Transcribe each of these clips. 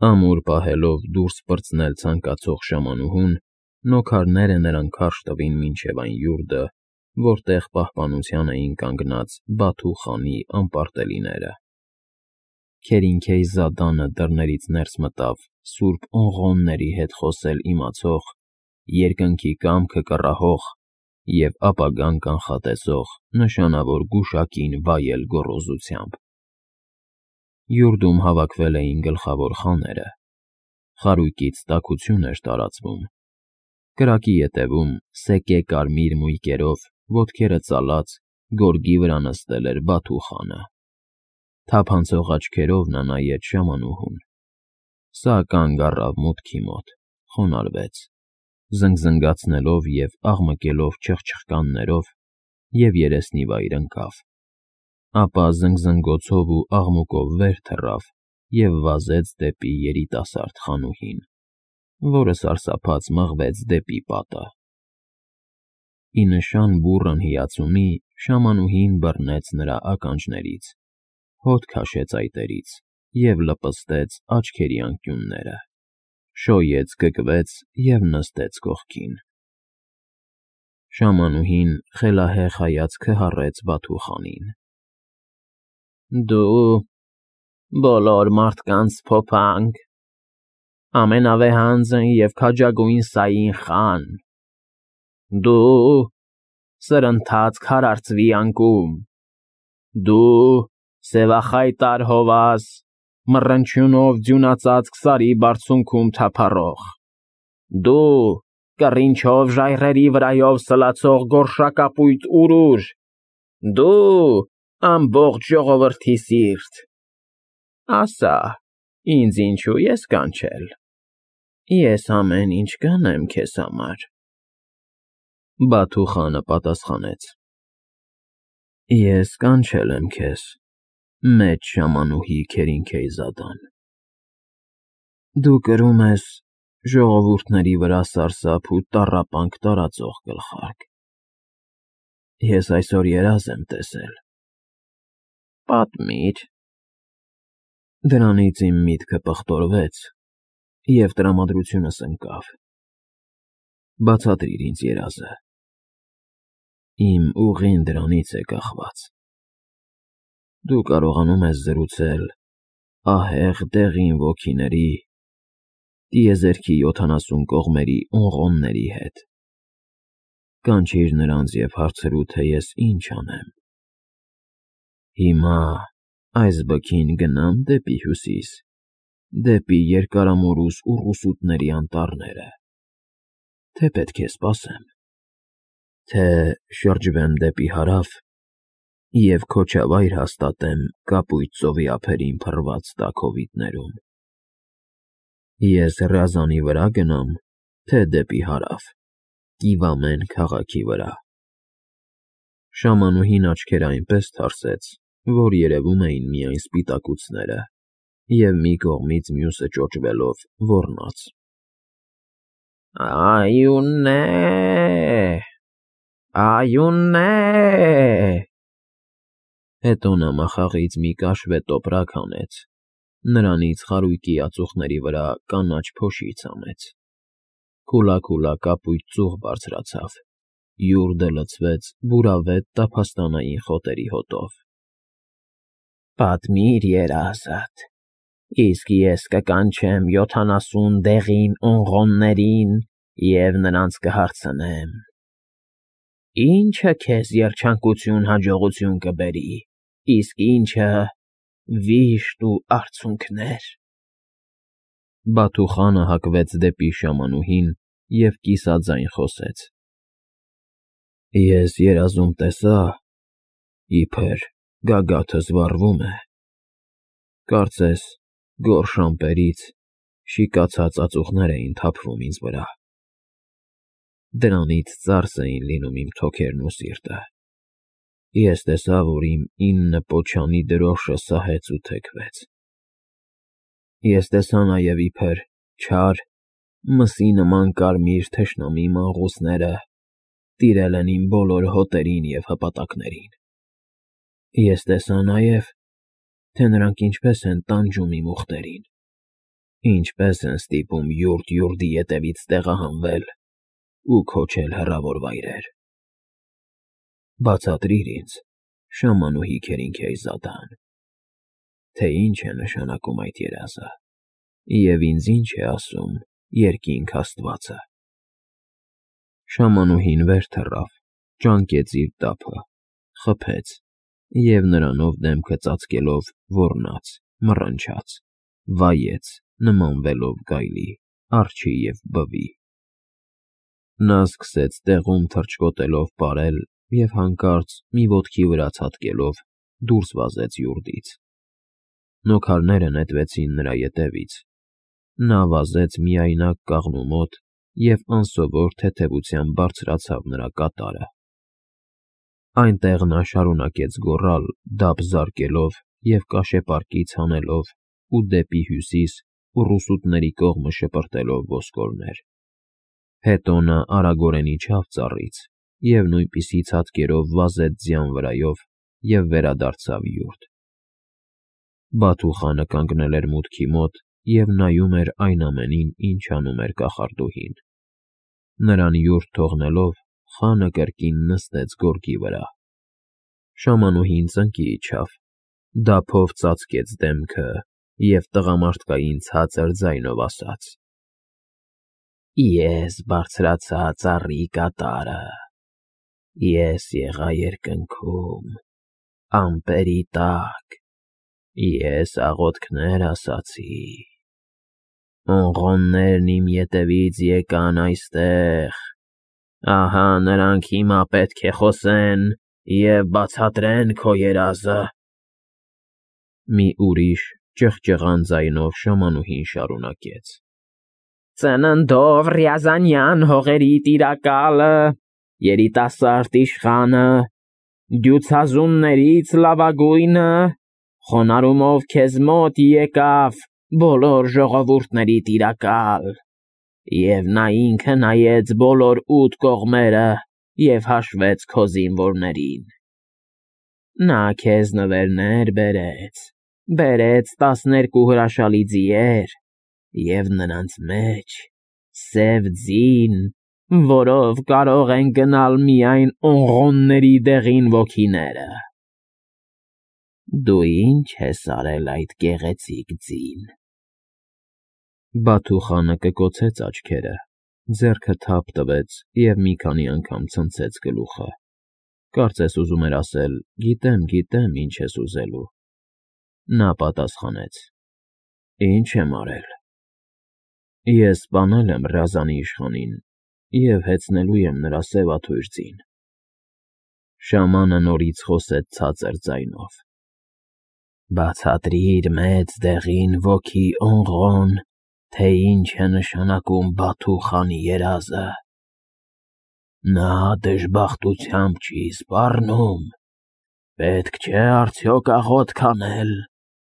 Ամուր պահելով դուրս պրծնել ցանկացող ժամանուհուն, նոքարները նրան քարշ տվին մինչև այն յուրդը, որտեղ պահպանության էին կանգնած Բաթու խանի անպարտելիները։ Քերինքեյզադանը դռներից ներս մտավ սուրբ օնղոնների հետ խոսել իմացող, երկնքի կամքը կռահող և ապագան կանխատեսող նշանավոր գուշակին վայել գոռոզությամբ։ Յուրդում հավաքվել էին գլխավոր խաները, խարույկից տաքություն էր տարածվում, կրակի ետևում սեկե կարմիր մույկերով ոտքերը ծալած գորգի վրա նստել էր Բաթու խանը, թափանցող աչքերով նա նայեց ժամանուհուն, սա կանգ առավ մուտքի մոտ, խոնարհվեց, զնգզնգացնելով և աղմկելով չխչխկաններով և երեսնի վայր ընկավ, ապա զնգզնգոցով ու աղմուկով վեր թռավ և վազեց դեպի երիտասարդ խանուհին, որը սարսափած մղվեց դեպի պատը։ Ի նշան բուռն հիացումի ժամանուհին բռնեց նրա ականջներից, հոտ քաշեց այտերից և լպստեց աչքերի անկյունները, շոյեց գգվեց և նստեց կողքին։ Ժամանուհին խելահեղ հայացքը հառեց Բաթու խանին։ Դու բոլոր մարդկանց փոփանք, ամենավեհանձն և քաջագույն Սային խան, դու սրընթաց քարարձվի անկում, դու սևախայտար հովաս, մռնչյունով ձյունածածկ սարի բարձունքում թափառող, դու կռինչով ժայռերի վրայով սլացող գորշակապույտուրուր, դու ամբողջ ժողովրդի սիրտ, ասա, ինձ ինչու ես կանչել, ես ամեն ինչ կանեմ քեզ համար։ Բաթու խանը պատասխանեց. Ես կանչել եմ քեզ, մեծ ժամանուհի Քերինքեյզադան, դու կրում ես ժողովուրդների վրա սարսափ ու տառապանք տարածող գլխարկ, ես այսօր երազ եմ տեսել։ Պատմիր։ Դրանից իմ միտքը պղտորվեց և տրամադրությունս ընկավ։ Բացատրիր ինձ երազը։ Իմ ուղին դրանից է կախված։ Դու կարողանում ես զրուցել ահեղ դեղին ոգիների, տիեզերքի 70 կողմերի օնղոնների հետ, կանչիր նրանց և հարցրու, թե ես ինչ անեմ։ Հիմա այս բքին գնա՞մ դեպի հյուսիս, դեպի երկարամորուս ուռուսուտների անտառները, թե պետք է սպասեմ, թե շրջվեմ դեպի հարավ և քոչավայր հաստատեմ կապույտ ծովի ափերին փռված տաք հովիտներում։ Ես Ռյազանի վրա գնամ, թե դեպի հարավ, Կիվամեն քաղաքի վրա։ Ժամանուհին աչքերը այնպես թարսեց, որ երևում էին միայն սպիտակուցները և մի կողմից մյուսը ճոճվելով ոռնաց։ Այունե, այունե… Հետո նա մախաղից մի կաշվե տոպրակ հանեց, նրանից խարույկի ածուխների վրա կանաչ փոշի ցանեց, քուլաքուլա կապույտ ծուղ բարձրացավ, յուրդը լցվեց բուրավետ տափաստանային խոտերի հոտով։ Պատմիր երազդ, իսկ ես կկանչեմ 70 դեղին օնղոններին և նրանց կհարցնեմ. Ի՞նչը քեզ երջանկություն հաջողություն կբերի, իսկ ի՞նչը վիշտ ու արցունքներ։ Բաթու խանը հակվեց դեպի ժամանուհին և կիսաձայն խոսեց. Ես երազում տեսա, իբր գագաթս վառվում է, կարծես գորշ ամպերից շիկացած ածուխներ էին թափվում ինձ վրա, դրանից ծարս էին լինում իմ թոքերն ու սիրտը, ես տեսա, որ իմ 9 պոչանի դրոշը սահեց ու թեքվեց, ես տեսա նաև իբր չար, մսի նման կարմիր թշնամի մանգղուսները տիրել են իմ բոլոր հոտերին և հպատակներին, ես տեսա նաև, թե նրանք ինչպես են տանջում իմ ուղտերին, Ինչպես են ստիպում յուրտ-յուրտի ետևից տեղահանվել ու քոչել հեռավոր վայրեր։ Բացատրիր ինձ, Շամանուհի Քերինքեյզադան, թե ինչ է նշանակում այդ երազը, և ինձ ինչ է ասում երկինք Աստվածը։ Շամանուհին վեր թռավ, ճանկեց իր տափը, խփեց և նրանով դեմքը ծածկելով ոռնաց, մռնչաց, վայեց, նմանվելով գայլի, արջի և բվի։ Նա սկսեց տեղում թռչկոտելով պարել և հանկարծ մի ոտքի վրա ցատկելով դուրս վազեց յուրտից։ Նոքարները նետվեցին նրա ետևից։ Նա վազեց միայնակ կաղնու մոտ և անսովոր թեթևությամբ բարձրացավ նրա կատարը։ Այնտեղ նա շարունակեց գոռալ, դափ զարկելով և կաշեպարկից հանելով ու դեպի հյուսիս ու ռուսուտների կողմը շպրտելով ոսկորներ։ Հետո նա արագորեն իջավ ծառից և նույնպիսի ցատկերով վազեց ձյան վրայով և վերադարձավ յուրտ։ Բաթուխանը կանգնել էր մուտքի մոտ և նայում էր այն ամենին, ինչ անում էր կախարդուհին։ Նրան յուրտ թողնելով, խանը կրկին նստեց գորգի վրա։ Շամանուհին ծնկի իջավ, դափով ծածկեց դեմքը և տղամարդկային ցածր ձայնով ասաց. Ես բարձրացա ծառի կատարը, ես եղա երկնքում, ամպերի տակ, ես աղոթքներ ասացի, ոնղոններն իմ ետևից եկան այստեղ, ահա նրանք հիմա պետք է խոսեն և բացատրեն քո երազը։ Մի ուրիշ ճղճղան ձայնով շամանուհին շարունակեց. Ծննդով Ռյազանյան հողերի տիրակալը, երիտասարդ իշխանը, դյուցազուններից լավագույնը, խոնարհումով քեզ մոտ եկավ բոլոր ժողովուրդների տիրակալ, և նա ինքը նայեց բոլոր 8 կողմերը և հաշվեց քո զինվորներին։ Նա քեզ նվերներ բերեց 12 հրաշալի ձիեր և նրանց մեջ սև ձին, որով կարող են գնալ միայն ոնղոնների դեղին ոգիները։ Դու ի՞նչ ես արել այդ գեղեցիկ ձին։ Բաթուխանը կկոցեց աչքերը, ձեռքը թափ տվեց և մի քանի անգամ ցնցեց գլուխը, կարծես ուզում էր ասել. գիտեմ, ինչ ես ուզելու։ Նա պատասխանեց. Ինչ եմ արել։ Ես սպանել եմ Ռազանի իշխանին և հեծնելու եմ նրա սևաթույր ձին։ Շամանը նորից խոսեց ցածր ձայնով. Բացատրիր մեծ դեղին ոգի ոնղոն, թե ինչ է նշանակում Բաթուխանի երազը։ Նա դժբախտությամբ չի սպառնում, պետք չէ արդյոք աղոթք անել,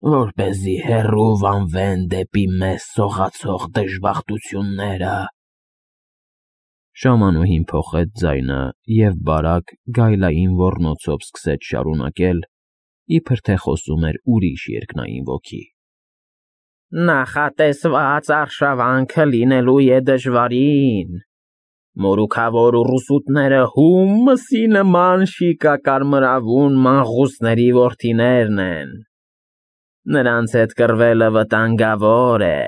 որպեսզի հեռու վանվեն դեպի մեզ սողացող դժբախտությունները։ Շամանուհին փոխեց ձայնը և բարակ, գայլային ոռնոցով սկսեց շարունակել, իբր թե խոսում էր ուրիշ երկնային ոգի. Նախատեսված արշավանքը լինելու է դժվարին, մորուքավոր ռուսուտները հում մսի նման շիկակարմրավուն մանղուսների որդիներն են, նրանց հետ կռվելը վտանգավոր է,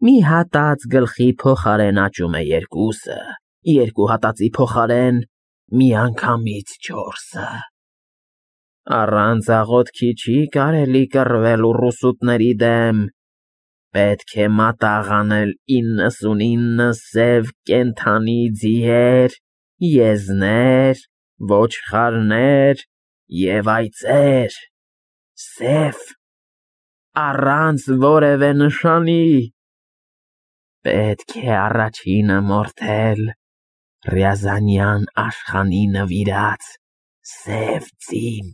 մի հատած գլխի փոխարեն աճում է երկուսը, երկու հատածի փոխարեն միանգամից 4-ը։ Առանց աղոթքի չի կարելի կռվել ռուսուտների դեմ, պետք է մատաղ անել 99 սև կենդանի ձիեր, եզներ, ոչխարներ և այծեր, սև, առանց որևէ նշանի։ Պետք է առաջինը մորթել Ռյազանյան իշխանի նվիրած սև ձին։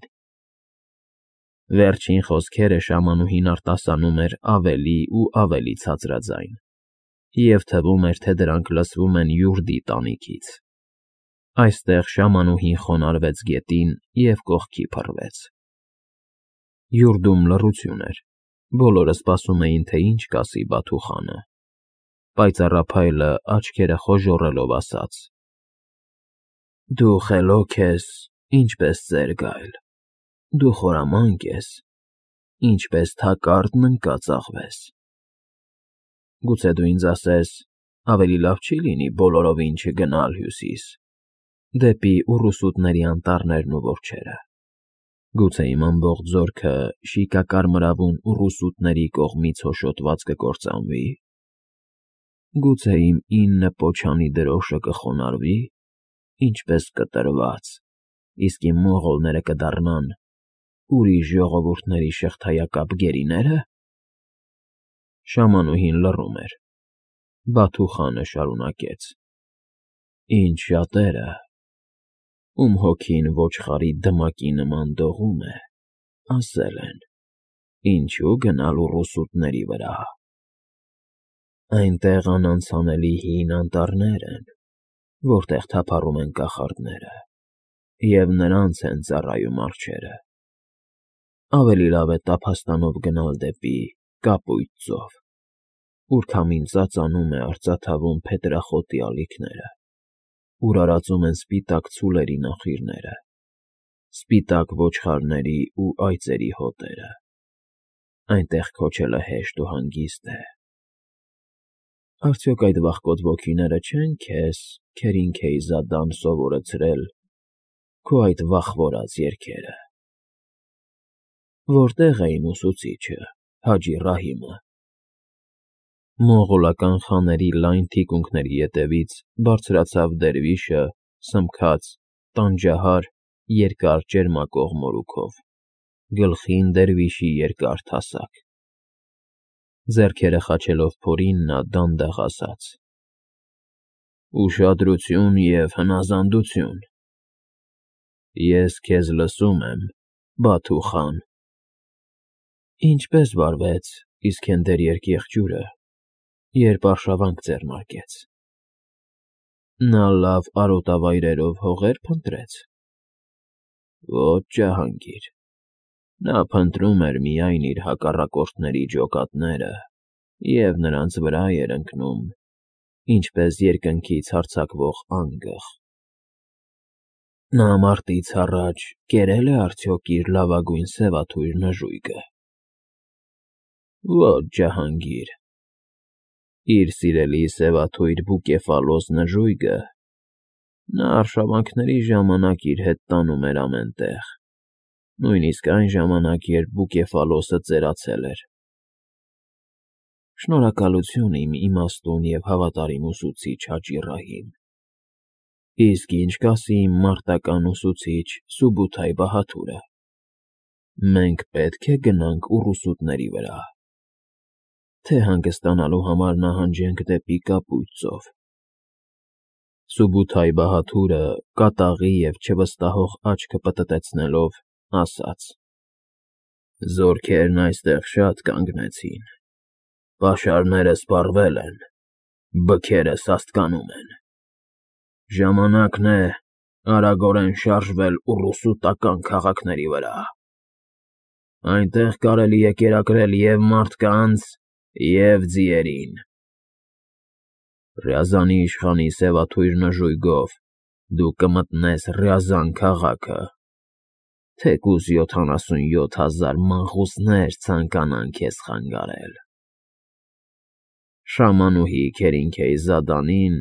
Վերջին խոսքերը շամանուհին արտասանում էր ավելի ու ավելի ցածրաձայն, և թվում էր, թե դրանք լսվում են յուրդի տանիքից։ Այստեղ շամանուհին խոնարհվեց գետին և կողքի փռվեց։ Յուրդում լռություն էր, Բոլորը սպասում էին, թե ինչ կասի Բաթուխանը։ Պայծառափայլը աչքերը խոժոռելով ասաց. Դու խելոք ես, ինչպես ծեր գայլ, դու խորամանկ ես, ինչպես թակարդն ընկած աղվես։ Գուցե դու ինձ ասես, ավելի լավ չի լինի բոլորովին չգնալ հյուսիս, դեպի ուռուսուտների անտառներն ու որջերը։ Գուցե իմ ամբողջ զորքը շիկակարմրավուն ուռուսուտների կողմից հոշոտված կկործանվի։ Գուցե իմ 9 պոչանի դրոշը կխոնարհվի, ինչպես կտրված, իսկ իմ մողոլները կդառնան ուրիշ ժողովուրդների շղթայակապ գերիները։ Շամանուհին լռում էր։ Բաթուխանը շարունակեց. Ինչ շատերը, ում հոգին ոչխարի դմակի նման դողում է, ասել են. ինչու գնալ ուռուսուտների վրա։ Այնտեղ անանցանելի հին անտառներ են, որտեղ թափառում են կախարդները, և նրանց են ծառայում արջերը։ Ավելի լավ է տափաստանով գնալ դեպի Կապույտ ծով, ուր քամին ծածանում է արծաթավուն փետրախոտի ալիքները, ուր արածում են սպիտակ ցուլերի նախիրները, սպիտակ ոչխարների ու այծերի հոտերը։ Այնտեղ քոչելը հեշտ ու հանգիստ է։ Արդյոք այդ վախկոտ ոգիները չեն քեզ, Քերինքեյզադան, սովորեցրել քո այդ վախվորած երգերը։ Որտե՞ղ է իմ ուսուցիչը, Հաջի Ռահիմը։ Մողոլական խաների լայն թիկունքների ետևից բարձրացավ դերվիշը, սմքած, տանջահար, երկար ճերմակող մորուքով, գլխին դերվիշի երկար թասակ։ Ձեռքերը խաչելով փորին նա դանդաղ ասաց. Ուշադրություն և հնազանդություն։ Ես քեզ լսում եմ, Բաթու խան։ Ինչպե՞ս վարվեց Իսքենդեր երկեղջյուրը, երբ արշավանք ձեռնարկեց։ Նա լավ արոտավայրերով հողեր փնտրեց։ Ոչ, ջահանգիր, նա փնտրում էր միայն իր հակառակորդների ջոկատները և նրանց վրա էր ընկնում, ինչպես երկնքից հարձակվող անգղ։ Նա մարտից առաջ կերե՞լ է արդյոք իր լավագույն սևաթույր նժույգը։ Ոչ, ջահանգիր, իր սիրելի սևաթույր Բուկեֆալոս նժույգը նա արշավանքների ժամանակ իր հետ տանում էր ամեն տեղ, նույնիսկ այն ժամանակ, երբ Բուկեֆալոսը ծերացել էր։ Շնորհակալություն իմ իմաստուն և հավատարիմ ուսուցիչ Հաջի Ռահիմ։ Իսկ ինչ կասի իմ մարտական ուսուցիչ Սուբութայ Բահաթուրը։ Մենք պետք է գնանք ուռուսուտների վրա, թե հանգստանալու համար նահանջենք դեպի Կապույտ ծով։ Սուբութայ Բահաթուրը կատաղի և չվստահող աչքը պտտեցնելով ասաց. Զորքերն այստեղ շատ կանգնեցին, պաշարները սպառվել են, բքերը սաստկանում են։ Ժամանակն է արագորեն շարժվել ուռուսուտական քաղաքների վրա։ Այնտեղ կարելի է կերակրել և մարդկանց, և ձիերին։ Ռյազանի իշխանի սևաթույր նժույգով դու կմտնես Ռյազան քաղաքը, թեկուզ 77,000 մանկուսներ ցանկանան քեզ խանգարել։ Շամանուհի Քերինքեյզադանին,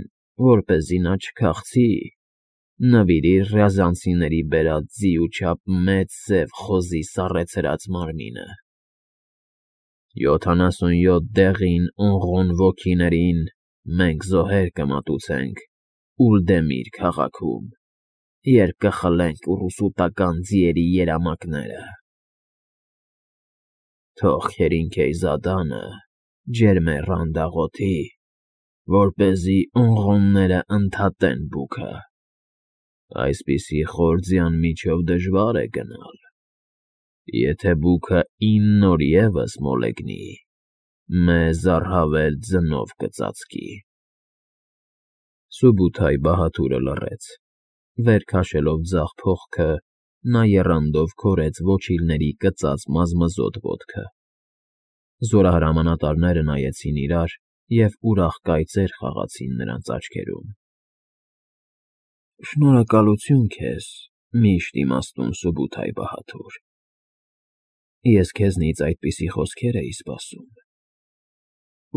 որպեսզի նա չքախցի, նվիրիր ռյազանցիների բերած ձի ու չափ մեծ սև խոզի սառեցրած մարմինը։ 77 դեղին Օնղոն ոգիներին մենք զոհեր կմատուցենք Ուլդեմիր քաղաքում, երբ կխլենք ուռուսուտական ձիերի երամակները։ Թող Քերինքեյզադանը ջերմեռան դաղոթի, որպեսզի Օնղոնները ընդհատեն բուքը։ Այսպիսի խոր ձյան միջով դժվար է գնալ։ Եթե բուքը 9 օր ևս մոլեգնի, մեզ առավել ձնով կծածկի։ Սուբութայ Բահաթուրը լռեց, վեր քաշելով ձախ փողքը, նա եռանդով քորեց ոչիլների կծած մազմզոտ ոտքը։ Զորահրամանատարները նայեցին իրար և ուրախ կայծեր խաղացին նրանց աչքերում։ Շնորհակալություն քեզ, միշտ իմաստուն Սուբութայ բահադուր, ես քեզնից այդպիսի խոսքեր էի սպասում։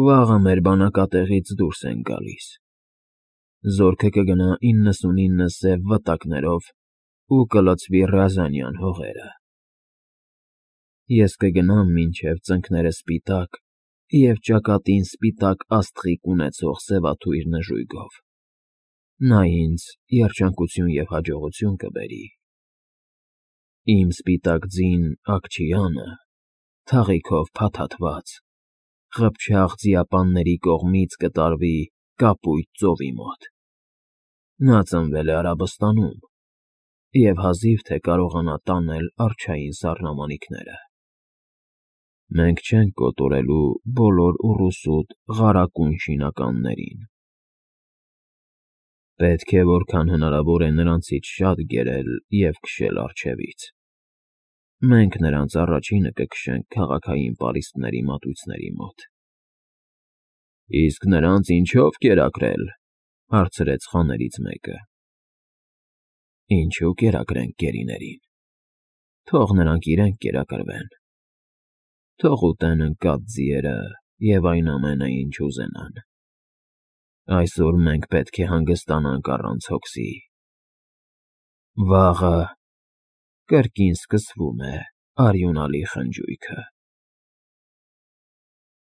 Վաղը մեր բանակատեղից դուրս ենք գալիս, զորքը կգնա 99 սև վտակներով ու կլցվի Ռազանյան հողերը։ Ես կգնամ մինչև ծնկները սպիտակ և ճակատին սպիտակ աստղիկ ունեցող սևաթույր նժույգով, նա ինձ երջանկություն և հաջողություն կբերի։ Իմ սպիտակ ձին Աքչյանը, թաղիքով փաթաթված, ղփչաղ ձիապանների կողմից կտարվի կապույտ ծովի մոտ։ Նա ծնվել է Արաբստանում և հազիվ թե կարողանա տանել արջային սառնամանիքները։ Մենք չենք կոտորելու բոլոր ուռուսուտ ղարակուն շինականներին։ Պետք է որքան հնարավոր է նրանցից շատ գերել և քշել առջևից։ Մենք նրանց առաջինը կքշենք քաղաքային պարիսպների մատույցների մոտ։ Իսկ նրանց ինչո՞վ կերակրել,֊ հարցրեց խաներից մեկը։ Ինչու կերակրենք գերիներին, թող նրանք իրենք կերակրվեն, թող ուտեն ընկած ձիերը և այն ամենը, ինչ ուզենան։ Այսօր մենք պետք է հանգստանանք առանց հոգսի։ Վաղը կրկին սկսվում է արյունալի խնջույքը։